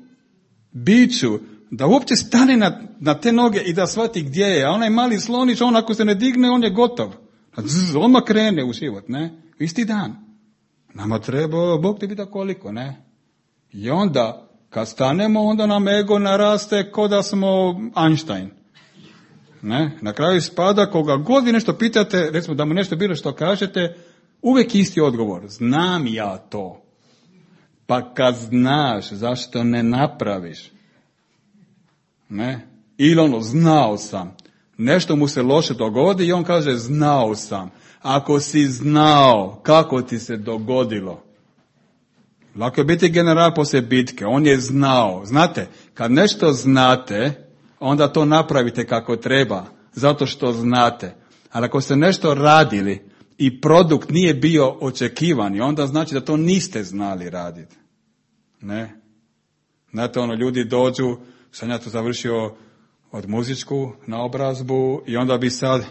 biću da uopće stane na, na te noge i da shvati gdje je. A onaj mali slonić, on ako se ne digne, on je gotov. Zzz, odmah krene u život, ne. Isti dan. Nama treba, Bog te pita koliko, ne. I onda, kad stanemo, onda nam ego naraste ko da smo Einstein. Ne? Na kraju spada, koga god vi nešto pitate, recimo da mu nešto bilo što kažete, uvijek isti odgovor. Znam ja to. Pa kad znaš, zašto ne napraviš? Ne? Ili ono, znao sam. Nešto mu se loše dogodi i on kaže, znao sam. Ako si znao, kako ti se dogodilo? Lako je biti general poslije bitke. On je znao. Znate, kad nešto znate, onda to napravite kako treba, zato što znate. Ali ako ste nešto radili i produkt nije bio očekivani, onda znači da to niste znali raditi. Ne? Znate, ono, ljudi dođu, sam ja to završio od muzičku naobrazbu i onda bi sad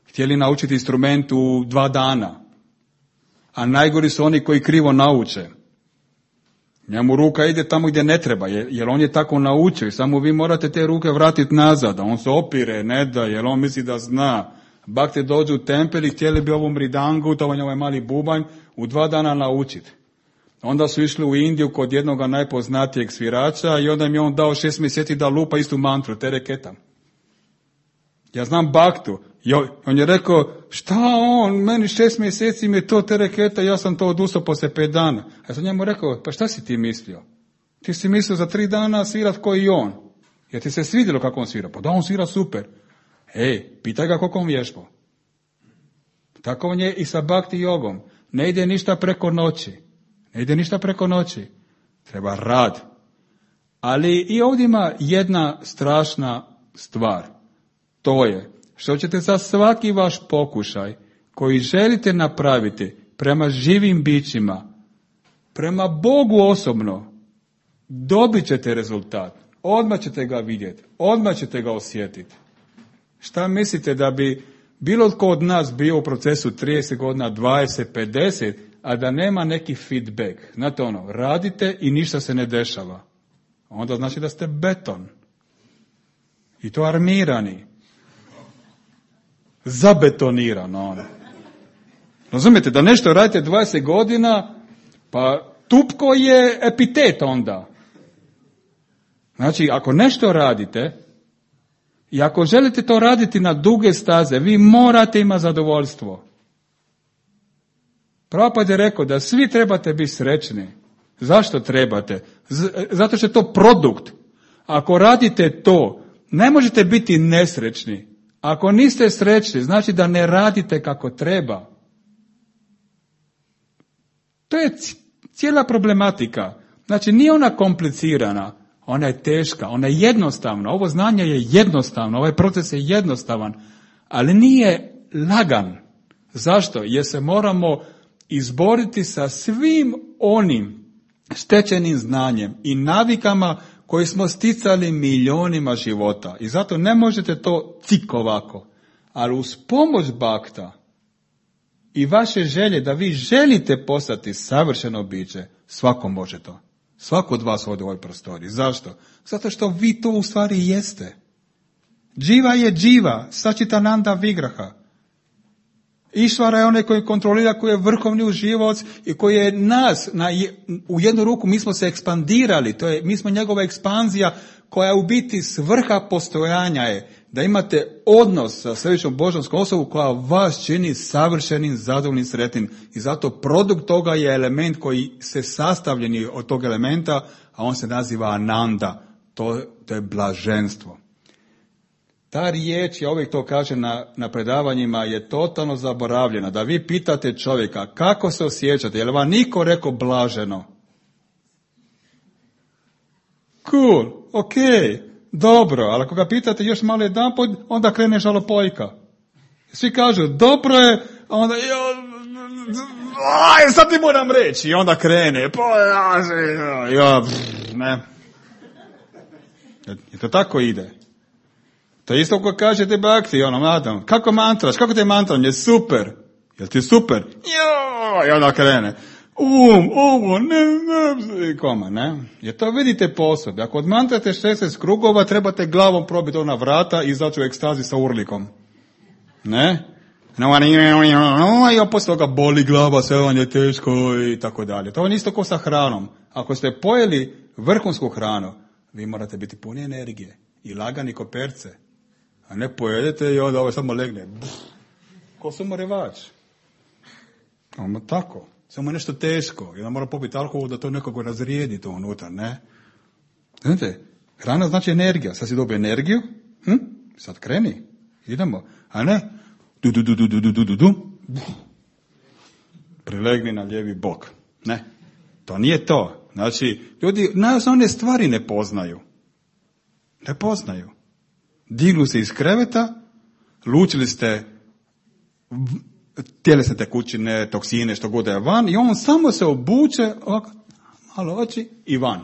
htjeli naučiti instrument u dva dana. A najgori su oni koji krivo nauče. Njemu ruka ide tamo gdje ne treba, jer on je tako naučio i samo vi morate te ruke vratiti nazad, a on se opire, ne da, jer on misli da zna. Bakte dođu u tempel i htjeli bi ovu mridangu, to je ovaj mali bubanj, u dva dana naučiti. Onda su išli u Indiju kod jednog najpoznatijeg svirača i onda im je on dao šest mjeseci da lupa istu mantru, tereketa. Ja znam Baktu. I on je rekao, šta on, meni šest mjeseci mi je to tereketa, ja sam to odustao poslije pet dana. A ja sam njemu rekao, pa šta si ti mislio? Ti si mislio za tri dana svirat ko i on. Jer ti se svidjelo kako on svira. Pa da, on svira super. Ej, pitaj ga koliko on vježbao. Tako on je i sa Bhakti jogom. Ne ide ništa preko noći. Ne ide ništa preko noći. Treba rad. Ali i ovdje ima jedna strašna stvar. To je što ćete za svaki vaš pokušaj koji želite napraviti prema živim bićima prema Bogu osobno, dobit ćete rezultat. Odmah ćete ga vidjeti. Odmah ćete ga osjetiti. Šta mislite da bi bilo tko od nas bio u procesu trideset godina, dvadeset, pedeset, a da nema neki feedback? Znate ono, radite i ništa se ne dešava. Onda znači da ste beton. I to armirani. Zabetonirano ono. Razumijete, da nešto radite dvadeset godina, pa tupko je epitet onda. Znači, ako nešto radite, i ako želite to raditi na duge staze, vi morate imati zadovoljstvo. Prabhupada je rekao da svi trebate biti srećni. Zašto trebate? Z- zato što je to produkt. Ako radite to, ne možete biti nesrećni. Ako niste srećni, znači da ne radite kako treba. To je cijela problematika. Znači, nije ona komplicirana, ona je teška, ona je jednostavna. Ovo znanje je jednostavno, ovaj proces je jednostavan, ali nije lagan. Zašto? Jer se moramo izboriti sa svim onim stečenim znanjem i navikama koji smo sticali milionima života. I zato ne možete to cik ovako. Ali uz pomoć bakta i vaše želje da vi želite postati savršeno biće, svako može to. Svako od vas ovdje u ovoj prostoriji. Zašto? Zato što vi to u stvari jeste. Dživa je dživa, Sačitananda Vigraha. Išvara je onaj koji kontrolira, koji je vrhovni uživaoc i koji je nas, na, u jednu ruku mi smo se ekspandirali, to je, mi smo njegova ekspanzija koja u biti svrha postojanja je da imate odnos sa središnjom božanskom osobom koja vas čini savršenim, zadovoljnim, sretnim. I zato produkt toga je element koji se sastavljeni od tog elementa, a on se naziva Ananda. To, to je blaženstvo. Ta riječ, ja uvijek to kažem na, na predavanjima, je totalno zaboravljena. Da vi pitate čovjeka kako se osjećate, je li vam niko rekao blaženo? Cool, ok, dobro, ali ako ga pitate još malo jedanput, onda krene žalopojka. Svi kažu, dobro je, a onda, aj, sad ti moram reći, i onda krene, pa, ja, ne. I to tako ide. To je isto ko kažete bakti, ono, madam, kako mantraš, kako te mantram, je super, jel ti super? Jo, i onda krene. Um, ovo, ne, ne, i koma, ne? Jer to vidite po osobi. Ako odmantrate šesnaest krugova, trebate glavom probiti ona vrata i izaći u ekstazi sa urlikom. Ne? I on poslije toga boli glava, sve vam je teško i tako dalje. To je isto ko sa hranom. Ako ste pojeli vrhunsku hranu, vi morate biti puni energije i lagani ko perce. A ne pojedete i onda ovo samo legne. Buf, ko sumorevač. Ono tako. Samo je nešto teško. I onda mora popiti alkohol da to nekako razrijedi to unutar, ne? Znate, hrana znači energija. Sad si dobio energiju, hm? Sad kreni. Idemo. A ne? Du, du, du, du, du, du, du, du. Prilegni na lijevi bok. Ne. To nije to. Znači, ljudi najosnovnije stvari ne poznaju. Ne poznaju. Dignu se iz kreveta, lučili ste tjelesne tekućine, toksine, što god je van, i on samo se obuče, ovako, malo oči i van.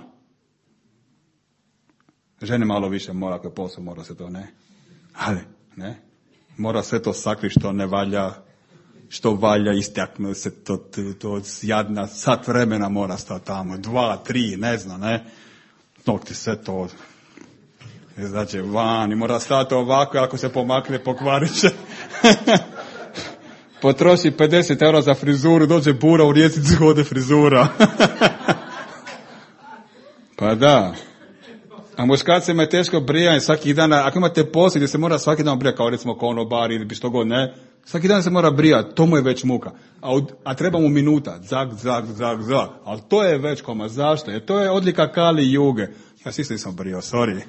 Žene malo više mora, ako je posao, mora se to, ne. Ali, ne. Mora sve to sakriti što ne valja, što valja, istakne se to, to, to jadna, sat vremena mora stati tamo, dva, tri, ne znam, ne. Nokti sve to, znači van, i mora stati ovako, ako se pomakne, pokvarit će. Potroši pedeset eura za frizuru, dođe bura u Rijeci, ode frizura. Pa da. A muškarcima je teško brijanje svaki dan, ako imate posao gdje se mora svaki dan brijati, kao recimo konobar ili što god, ne, svaki dan se mora brijati, to mu je već muka. A, a treba mu minuta, zag, zag, zag, zag. Ali to je već koma, zašto? Jer to je odlika Kali Juge. Ja si isto nisam brio, sorry.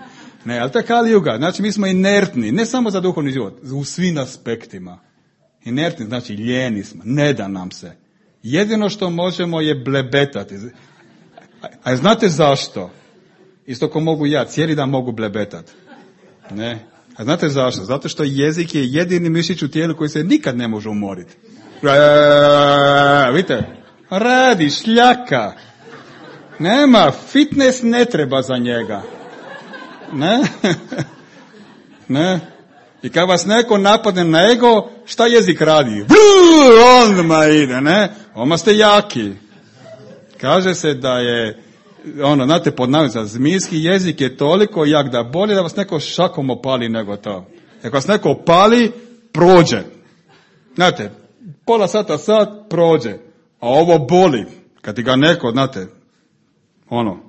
Ne, ali to je Kali Juga, znači mi smo inertni, ne samo za duhovni život, u svim aspektima. Inertni, znači ljeni smo, ne da nam se. Jedino što možemo je blebetati. A, a znate zašto? Isto ko mogu ja, cijeli dan mogu blebetati. Ne? A znate zašto? Zato što jezik je jedini mišić u tijelu koji se nikad ne može umoriti. E, vidite? Radi, šljaka. Nema, fitness ne treba za njega. Ne? Ne? I kad vas neko napadne na ego, šta jezik radi? Odmah ide, ne? Oma ste jaki. Kaže se da je, ono, znate, pod navodnicima, zmijski jezik je toliko jak da bolje da vas neko šakom opali nego to. Ako vas neko opali, prođe. Znate, pola sata, sat, prođe. A ovo boli. Kad ti ga neko, znate, ono,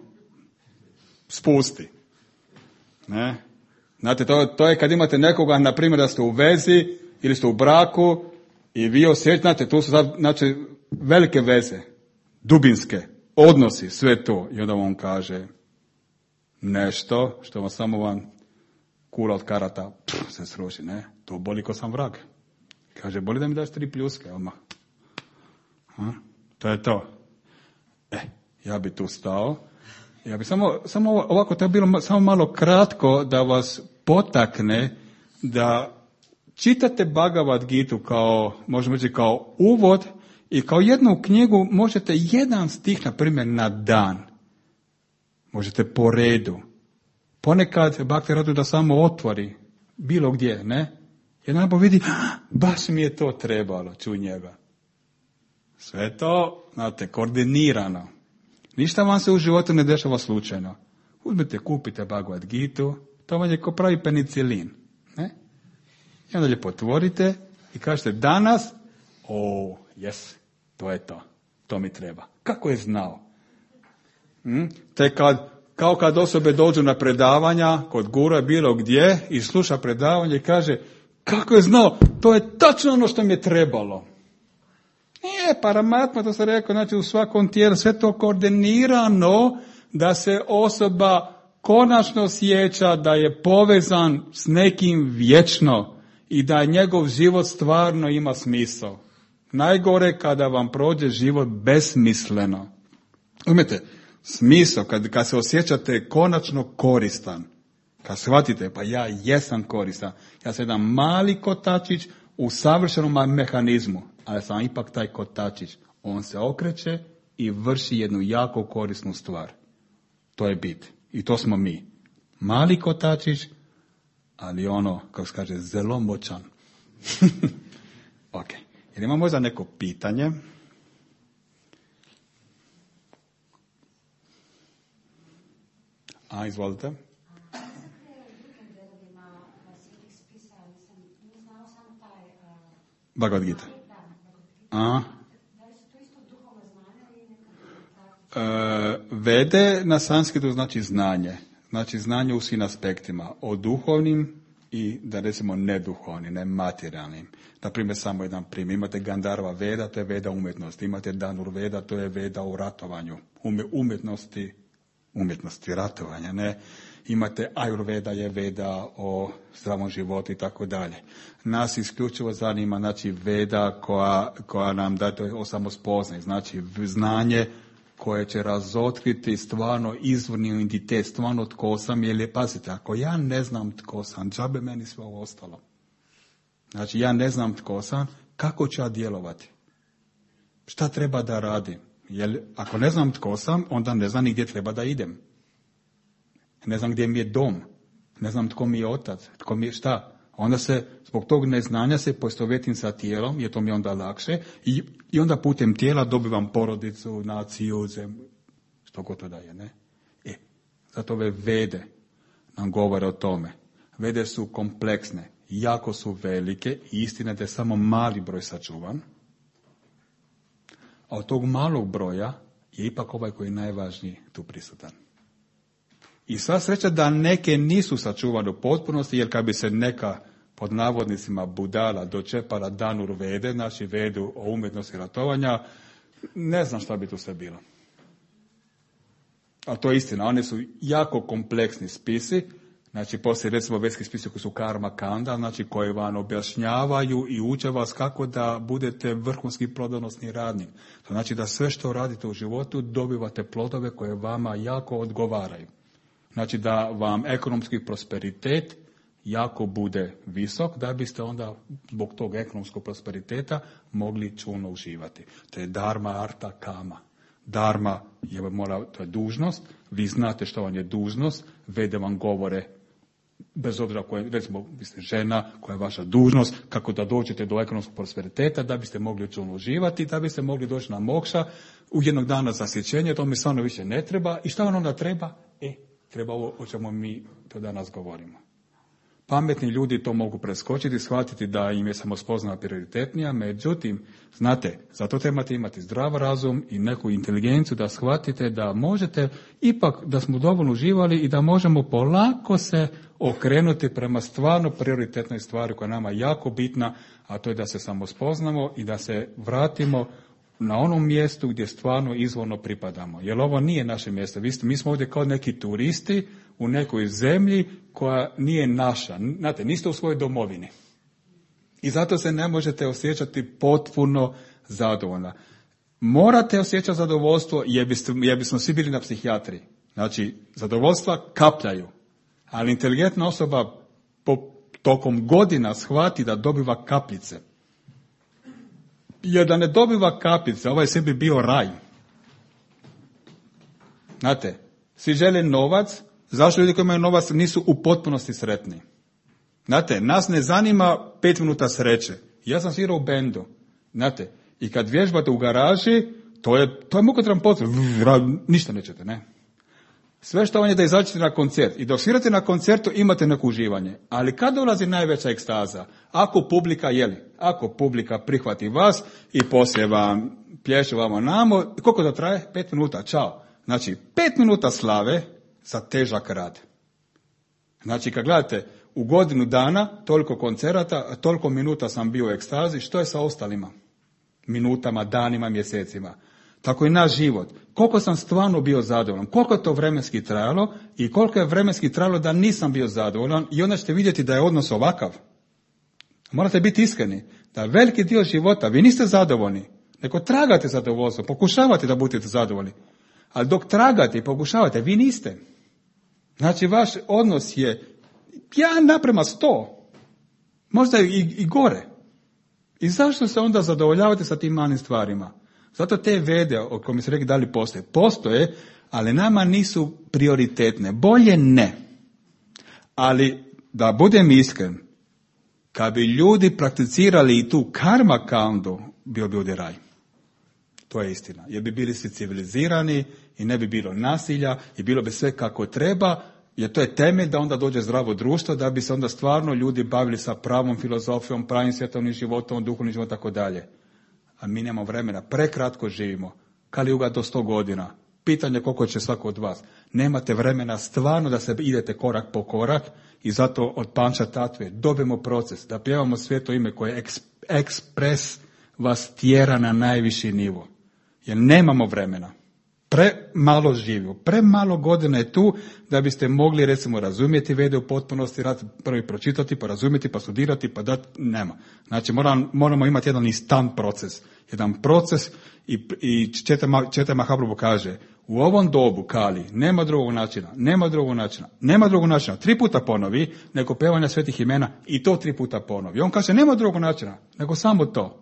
spusti. Ne? Znate, to, to je kad imate nekoga, na primjer, da ste u vezi ili ste u braku i vi osjećate, tu su sad, znači, velike veze, dubinske, odnosi, sve to. I onda on kaže nešto što vam samo vam kula od karata pff, se sruši, ne? To boli ko sam vrag. Kaže, boli da mi daš tri pljuske, odmah. Ha? To je to. E, ja bi tu stao. Ja bi samo, samo ovako, to je bilo samo malo kratko da vas potakne da čitate Bhagavad Gitu kao, možemo reći, kao uvod i kao jednu knjigu možete jedan stih, na primjer, na dan. Možete po redu. Ponekad Bhakti radu da samo otvori bilo gdje, ne? Jedan po vidi, baš mi je to trebalo, čuj njega. Sve to, znate, koordinirano. Ništa vam se u životu ne dešava slučajno. Uzmite, kupite Bhagavad Gitu, to vam je ko pravi penicilin. Ne? I onda lijepo otvorite i kažete danas, o, jes, to je to. To mi treba. Kako je znao? Hm? Te kad, kao kad osobe dođu na predavanja, kod gura bilo gdje, i sluša predavanje i kaže, kako je znao? To je tačno ono što mi je trebalo. Nije, Paramatma, to sam rekao, znači u svakom tijelu, sve to koordinirano da se osoba konačno sjeća da je povezan s nekim vječno i da njegov život stvarno ima smisao. Najgore kada vam prođe život besmisleno. Umijete, smisao, kad, kad se osjećate konačno koristan, kad shvatite, pa ja jesam koristan, ja sam jedan mali kotačić u savršenom mehanizmu, ali sam ipak taj kotačić. On se okreće i vrši jednu jako korisnu stvar. To je bit. I to smo mi. Mali kotačić, ali ono, kako se kaže, zelo moćan. Ok. Jer ima možda neko pitanje? A, izvolite. Bhagavad Gita. A? E, vede na sanskritu znači znanje. Znači znanje u svim aspektima. O duhovnim i, da recimo, neduhovnim, ne materijalnim. Naprimjer, samo jedan primjer. Imate Gandharva Veda, to je Veda umjetnosti. Imate Dhanur Veda, to je Veda u ratovanju. Ume, umjetnosti, umjetnosti ratovanja, ne? Imate Ayurveda, je Veda o zdravom životu i tako dalje. Nas isključivo zanima, znači, Veda koja, koja nam da to o samospoznaj, znači znanje koje će razotkriti stvarno izvorni identitet, stvarno tko sam, jer je, pazite, ako ja ne znam tko sam, džabe meni sve ovo ostalo. Znači, ja ne znam tko sam, kako ću ja djelovati? Šta treba da radim? Jer ako ne znam tko sam, onda ne znam ni gdje treba da idem. Ne znam gdje mi je dom. Ne znam tko mi je otac. Tko mi je šta. Onda se, zbog tog neznanja se poistovjetim sa tijelom, jer to mi je onda lakše. I, i onda putem tijela dobivam porodicu, naciju, zemlju. Što god to daje, ne? E, zato ove vede nam govore o tome. Vede su kompleksne, jako su velike i istina da je samo mali broj sačuvan. A od tog malog broja je ipak ovaj koji je najvažniji tu prisutan. I sva sreća da neke nisu sačuvane u potpunosti, jer kad bi se neka, pod navodnicima, budala dočepala Dhanur Vede, znači Vedu o umjetnosti ratovanja, ne znam šta bi tu sve bilo. A to je istina, one su jako kompleksni spisi, znači poslije recimo vedski spisi koji su karma kanda, znači koji vam objašnjavaju i uče vas kako da budete vrhunski plodonosni radnik. To znači da sve što radite u životu dobivate plodove koje vama jako odgovaraju. Znači da vam ekonomski prosperitet jako bude visok, da biste onda zbog tog ekonomskog prosperiteta mogli čulno uživati. To je dharma, arta, kama. Dharma je, mora, to je dužnost, vi znate što vam je dužnost, vede vam govore, bez obzira koje, recimo, vi ste žena, koja je vaša dužnost, kako da dođete do ekonomskog prosperiteta, da biste mogli uživati, da biste mogli doći na mokša, u jednog dana zasjećenje, to mi stvarno više ne treba. I šta vam onda treba? E, treba ovo o čemu mi to danas govorimo. Pametni ljudi to mogu preskočiti, shvatiti da im je samospoznana prioritetnija, međutim, znate, zato trebate imati zdrav razum i neku inteligenciju da shvatite da možete, ipak da smo dovoljno uživali i da možemo polako se okrenuti prema stvarno prioritetnoj stvari koja je nama jako bitna, a to je da se samospoznamo i da se vratimo na onom mjestu gdje stvarno izvorno pripadamo. Jer ovo nije naše mjesto. Mi smo ovdje kao neki turisti u nekoj zemlji koja nije naša. Znate, niste u svojoj domovini. I zato se ne možete osjećati potpuno zadovoljna. Morate osjećati zadovoljstvo jer, biste, jer bismo svi bili na psihijatriji. Znači, zadovoljstva kapljaju. Ali inteligentna osoba po tokom godina shvati da dobiva kapljice. Jer da ne dobiva kapljice, ovaj sebi bio raj. Znate, svi žele novac, zašto ljudi koji imaju novac nisu u potpunosti sretni? Znate, nas ne zanima pet minuta sreće. Ja sam svirao u bendu. Znate, i kad vježbate u garaži, to je, to je mukotrpan posao. Ništa nećete, ne? Sve što vam je da izađete na koncert. I dok svirate na koncertu imate neko uživanje. Ali kad dolazi najveća ekstaza? Ako publika, jeli, ako publika prihvati vas i poslije vam plješe vamo namo, koliko to traje? Pet minuta, čao. Znači, pet minuta slave za težak rad. Znači, kad gledate u godinu dana, toliko koncerata, toliko minuta sam bio u ekstazi, što je sa ostalima? Minutama, danima, mjesecima. Tako i naš život. Koliko sam stvarno bio zadovoljan, koliko je to vremenski trajalo i koliko je vremenski trajalo da nisam bio zadovoljan i onda ćete vidjeti da je odnos ovakav. Morate biti iskreni da veliki dio života vi niste zadovoljni, nego tragate zadovoljstvo, pokušavate da budete zadovoljni. Ali dok tragate i pokušavate, vi niste. Znači vaš odnos je jedan naprema sto, možda i, i gore. I zašto se onda zadovoljavate sa tim malim stvarima? Zato te vede, o kojima se rekli da li postoje, postoje, ali nama nisu prioritetne. Bolje ne. Ali, da budem iskren, kad bi ljudi prakticirali i tu karma kandu, bio bi ovdje raj. To je istina. Jer bi bili svi civilizirani i ne bi bilo nasilja i bilo bi sve kako treba, jer to je temelj da onda dođe zdravo društvo, da bi se onda stvarno ljudi bavili sa pravom filozofijom, pravim svjetovnim životom, duhovnim životom, tako dalje. A mi nemamo vremena, prekratko živimo. Kalijuga do sto godina. Pitanje koliko će svako od vas. Nemate vremena stvarno da se idete korak po korak i zato od Panča Tatve dobijemo proces, da pjevamo sveto ime koje eks, ekspres vas tjera na najviši nivo. Jer nemamo vremena. Premalo živimo, premalo godina je tu da biste mogli recimo razumjeti vede u potpunosti, prvi pročitati, pa razumjeti, pa studirati, pa dati, nema. Znači moram, moramo imati jedan instant proces, jedan proces i, i Četa Mahaprabhu kaže, u ovom dobu Kali nema drugog načina, nema drugog načina, nema drugog načina, tri puta ponovi, nego pevanja svetih imena i to tri puta ponovi. On kaže, nema drugog načina, nego samo to.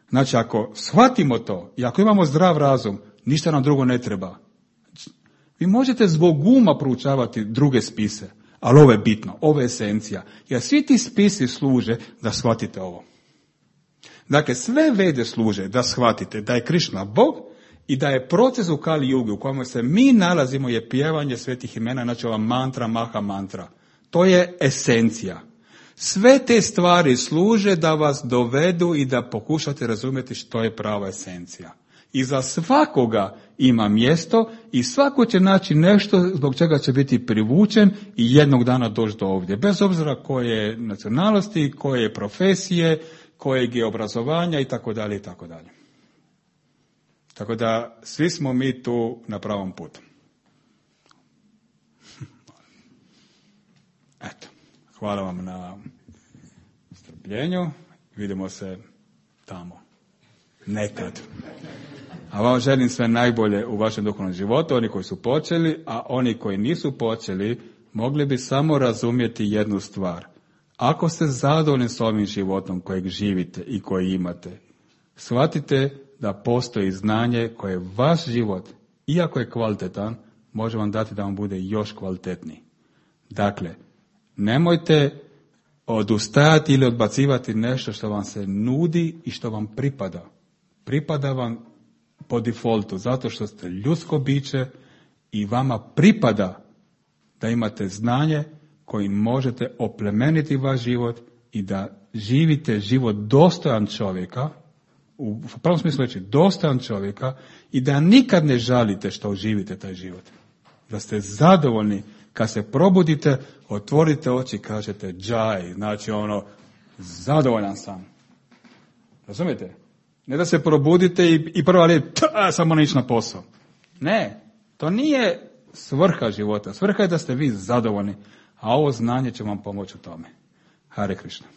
Znači ako shvatimo to i ako imamo zdrav razum, ništa nam drugo ne treba. Vi možete zbog uma proučavati druge spise, ali ovo je bitno, ovo je esencija. Jer svi ti spisi služe da shvatite ovo. Dakle, sve vede služe da shvatite da je Krišna Bog i da je proces u Kali Jugi u kojem se mi nalazimo je pjevanje svetih imena, znači ova mantra, maha mantra. To je esencija. Sve te stvari služe da vas dovedu i da pokušate razumjeti što je prava esencija. I za svakoga ima mjesto i svako će naći nešto zbog čega će biti privučen i jednog dana doći do ovdje. Bez obzira koje nacionalnosti, koje profesije, kojeg je obrazovanja i tako dalje i tako dalje. Tako da svi smo mi tu na pravom putu. Eto, hvala vam na strpljenju. Vidimo se tamo. Nekad. A vam želim sve najbolje u vašem duhovnom životu, oni koji su počeli, a oni koji nisu počeli, mogli bi samo razumjeti jednu stvar. Ako ste zadovoljni s ovim životom kojeg živite i koji imate, shvatite da postoji znanje koje vaš život, iako je kvalitetan, može vam dati da vam bude još kvalitetniji. Dakle, nemojte odustajati ili odbacivati nešto što vam se nudi i što vam pripada. Pripada vam po defaultu, zato što ste ljudsko biće i vama pripada da imate znanje kojim možete oplemeniti vaš život i da živite život dostojan čovjeka, u pravom smislu reći dostojan čovjeka, i da nikad ne žalite što živite taj život. Da ste zadovoljni kad se probudite, otvorite oči i kažete džaj, znači ono, zadovoljan sam. Razumijete? Ne da se probudite i, i prva riječ, samo ne ići na posao. Ne, to nije svrha života. Svrha je da ste vi zadovoljni, a ovo znanje će vam pomoći u tome. Hare Krishna.